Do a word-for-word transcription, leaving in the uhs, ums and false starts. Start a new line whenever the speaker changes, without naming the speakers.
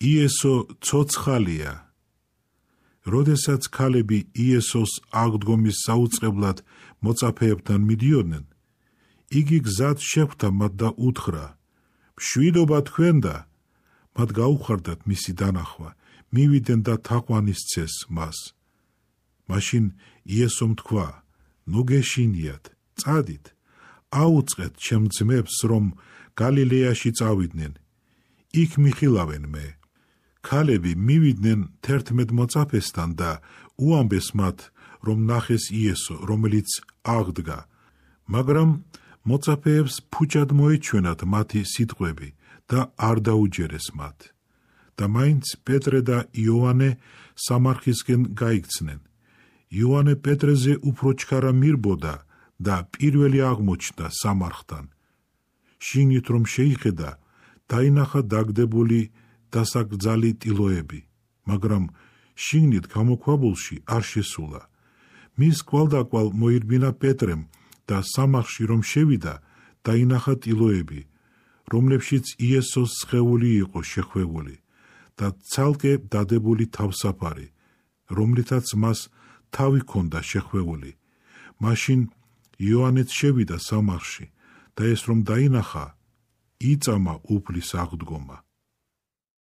იესო ცოცხალია. როდესაც ქალები იესოს აღდგომის საუწყებლად მოწაფეებთან მიდიოდნენ, იგი გზად შეხვდა მათ და უთხრა: მშვიდობა თქვენ და მათ გაუხარდათ მისი დანახვა, მივიდნენ და თაყვანისცეს მას. მაშინ იესომ თქვა: ნუ გეშინიათ, წადით, აუწყეთ ჩემ ძმებს, რომ გალილეაში წავიდნენ, იქ მიხილავენ მე. ქალები მივიდნენ თერთმეტ მოწაფესთან და უამბეს მათ, რომ ნახეს იესო, რომელიც აღდგა, მაგრამ მოწაფეებს ფუჭად მოეჩვენათ მათი სიტყვები და არ დაუჯერეს მათ. და მაინც პეტრე და იოანე სამარხისკენ გაიქცნენ. იოანე პეტრეზე უფრო ჩქარა მირბოდა და პირველი აღმოჩნდა სამარხთან. შიგნით რომ შეიხედა, დაინახა დაგდებული დასაკრძალი ტილოები, მაგრამ შიგნით გამოქვაბულში არ შესულა. მის კვალდაკვალ მოირბინა პეტრემ და სამარხში რომ შევიდა, დაინახა ტილოები, რომლებშიც იესოს სხეული იყო შეხვეული და ცალკე დადებული თავსაფარი, რომლითაც მას თავი ჰქონდა შეხვეული. მაშინ იოანეც შევიდა სამარხში და ეს რომ დაინახა, იწამა უფლის აღდგომა.